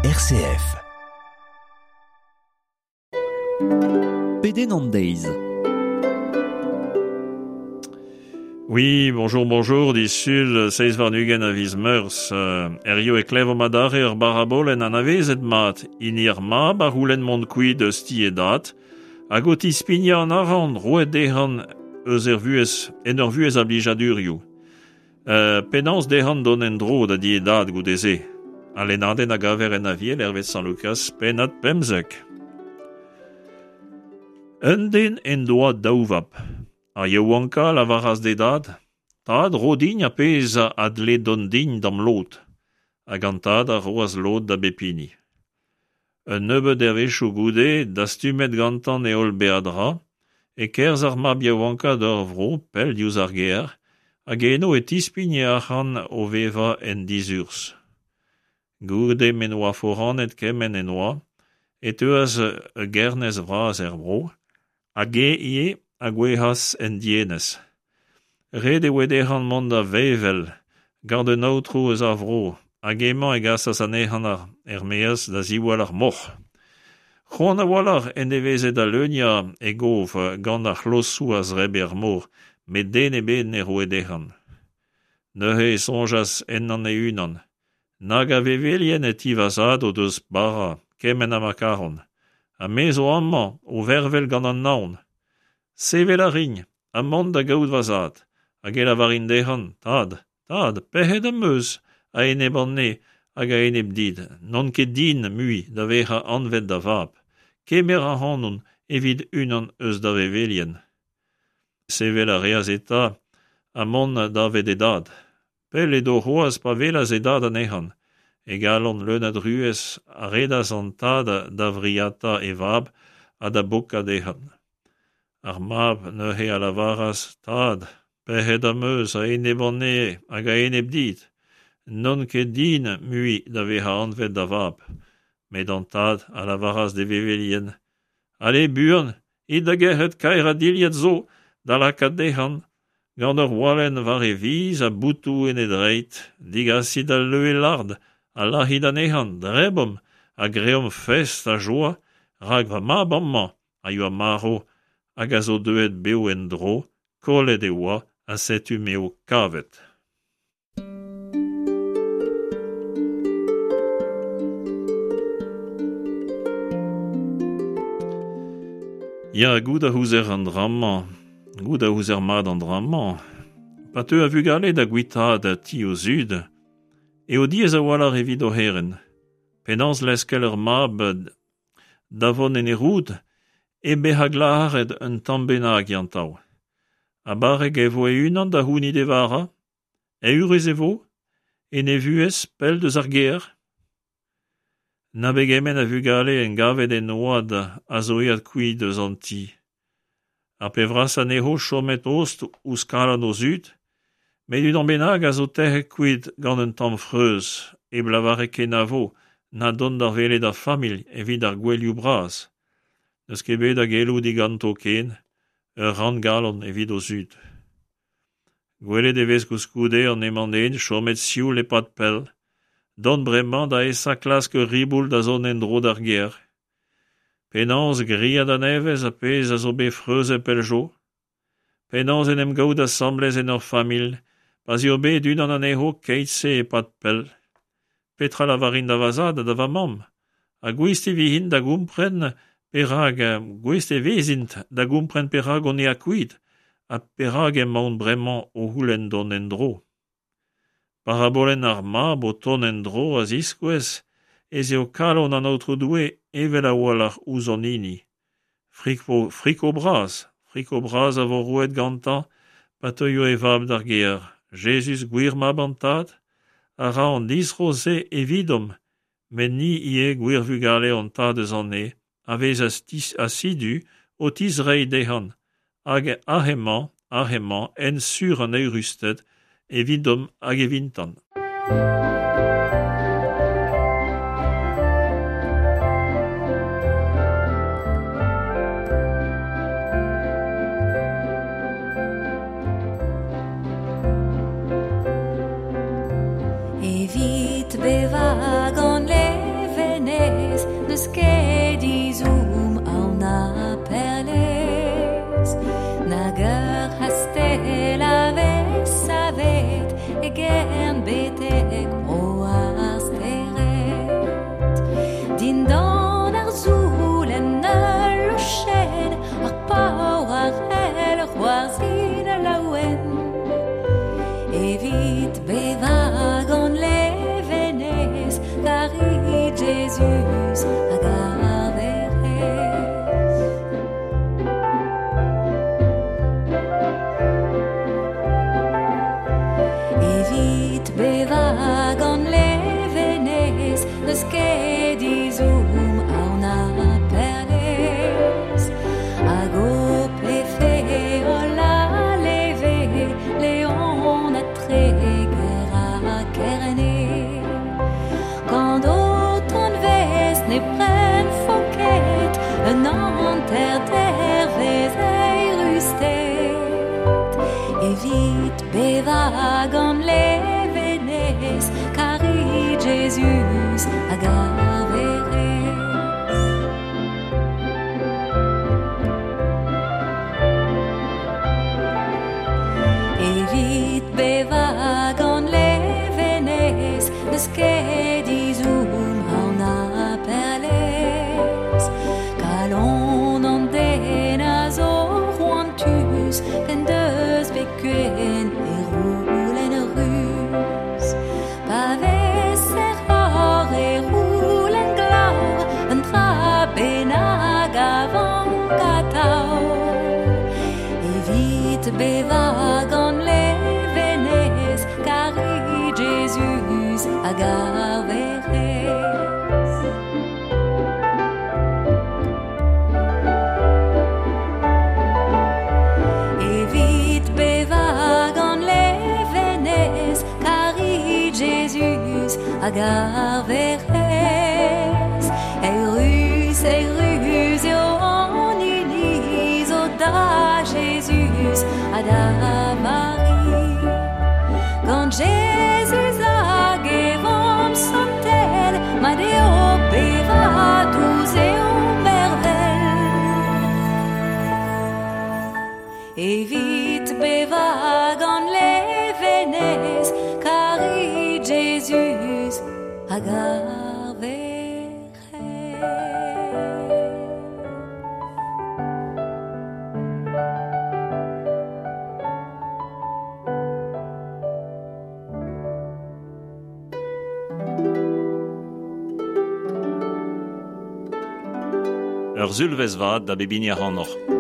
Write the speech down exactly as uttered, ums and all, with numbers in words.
R C F. Pedenn an deiz. Oui, bonjour, bonjour, disul seizh warn-ugent a viz Meurzh, euh, Hirio e klevomp adarre ur barabolenn anavezet mat, hini ar mab a c'houlenn mont kuit eus ti e dad, hag o tispignañ an arc'hant roet dezhañ eus er vuhez, en ur vuhez a blijadurioù. Euh, penaos dezhañ dont en-dro da di e dad goude-se. Al lennadenn a gaver en Aviel hervez Sant Lukaz, pennad pemzek. Un den en doa daou vab. Ar yaouankañ a lavaras d'e dad, Tad, ro din ar pezh a dle dont din d'am lod. Hag an tad a roas lod da bep hini. Un nebeud devezhioù goude, dastumet gantañ e holl beadra, e kerzh ar mab yaouankañ d'ur vro pell diouzh ar gêr, hag eno e tispign e arc'hant o vevañ en dizurzh. Goude m'en doa foranet kement en doa, e teuas ur gernez vras er vro, hag eñ ivez a gouezhas en dienez. Ret e oa dezhañ mont da vevel gant un aotrou eus ar vro, hag hemañ e gasas anezhañ er-maez da ziwall ar moc'h. C'hoant a-walc'h en deveze da leuniañ e gof gant ar c'hlozoù a zebre ar moc'h, met den ebet ne roe dezhañ. Neuze e soñjas ennañ e-unan. Nag a vevelien e ti va zad o deus bara, kement ha ma karont. Ha me zo amañ o vervel gant an naon. Sevel a rin, ha mont da gaout va zad, hag e lavarin dezhañ, Tad, tad, pec'het am eus a-enep an neñv hag a-enep dit, n'on ket din mui da vezañ anvet da vab. Kemer ac'hanon evit unan eus da vevelien. Sevel a reas eta ha mont davet e dad. Pell edo c'hoazh pa welas e dad anezhañ. E galon leun a druez a redas an tad da vriata e vab ha da bokañ dezhañ. Ar mab neuze a lavaras, Tad, pec'het am eus a-enep an neñv hag a-enep dit. N'on ket din mui da vezañ anvet da vab. Met an tad a lavaras d'e vevelien, Ale buan, it da gerc'hat kaerañ dilhad zo da lakaat dezhañ, gant ur walenn war e viz ha botoù en e dreid, degasit al leue lart ha lazhit anezhañ, debomp ha greomp fest ha joa, rak va mab amañ a yoa marv hag a zo deuet bev en-dro, kollet e oa ha setu m'eo kavet. Ya, goût a ouzer an dra-mañ, goût a ouzer mat an dra-mañ. Pa teu a vugale da guitaat ti o zud, eo diaes a-walc'h evit o c'herent. Penaos leskel ur mab da vont en e roud, hep bezañ glac'haret un tamm bennak gantañ. Ha barrek e vo e-unan da c'hounit e vara? Eürus e vo? En e vuhez pell deus ar gêr? Na pegement a vugale engavet en oad a zo aet kuit eus an ti. Ar pep brasañ anezho chomet tost ouzh kalon o zud, met unan bennak a zo tec'het kuit gant un tamm freuz, hep lavaret kenavo na dont da welet ar familh evit ar gouelioù bras. N'eus ket bet a geloù diganto ken, ur ranngalon evit o zud. Gwelet e vez koulskoude an hemañ-den chomet sioul e-pad pell, dont bremañ da esa klask ur riboul da zont en-dro d'ar gêr. Penaos gwriat a-nevez ar pezh a zo bet freuzet pell zo? Penaos en em gaout asambles en ur familh, pa'z eo bet unan anezho keit-se e-pad pell? Petra lavarin da va zad ha da va mamm? Ha gouest e vezint da gompren perak, gouest e vezint da gompren perak on aet kuit ha perak emaon bremañ o c'houlenn dont en-dro. Parabolenn ar mab o tont en-dro a ziskouez ez eo kalon an Aotrou Doue evel a-walc'h ouzh hon hini. Friko, friko bras, friko bras a vo roet gantañ pa teuio e vab d'ar gêr. Jezuz gwir mab an tad a ra an distro-se evidomp, met ni ivez gwir vugale hon tad eus an neñv, a vez asidu o tizreiñ dezhañ, hag aze-mañ, aze-mañ, hent sur an eürusted evidomp hag evintañ. Evit bevañ gant levenez. N'eus ket izoum aon a perlez, nag ur c'hastell a vez savet e gern betek bro ar stered. Dindan ar zoulenn ul lochenn, ar paour ar c'hell c'hoarzhin laouen. Evit bevañ gant levenez, karit Jezuz hag ar Werc'hez. Evit bevañ gant levenez, n'eus ket izoum aon a perlez. Hag ho pefe holl a leve, Leon ha Treger ha Kerne. Gant ho tonvez ne pren ket un hanter dervez eirusted. Evit bevañ gant levenez, karit Jezuz hag ar Werc'hez. Evit bevañ gant levenez, n'eus ket izoum aon a perlez. Kalon an den a zo c'hoantus, p'en deus bet kuen e roulenn ruz. Pa vez er c'hor e roulenn glav, un dra bennak a vank atav. Evit bevañ gant levenez, karit Jezuz hag ar Werc'hez. Evit bevañ gant levenez, karit Jezuz hag ar Werc'hez. Eürus, eürus eo an iliz, o da Jezuz ha da Mari. Gant Jezuz hag e vamm santel, mat eo bevañ, dous eo mervel. Evit bevañ gant levenez, karit Jezuz hag ar Werc'hez. Ur zulvez vat da bep hini ac'hanoc'h.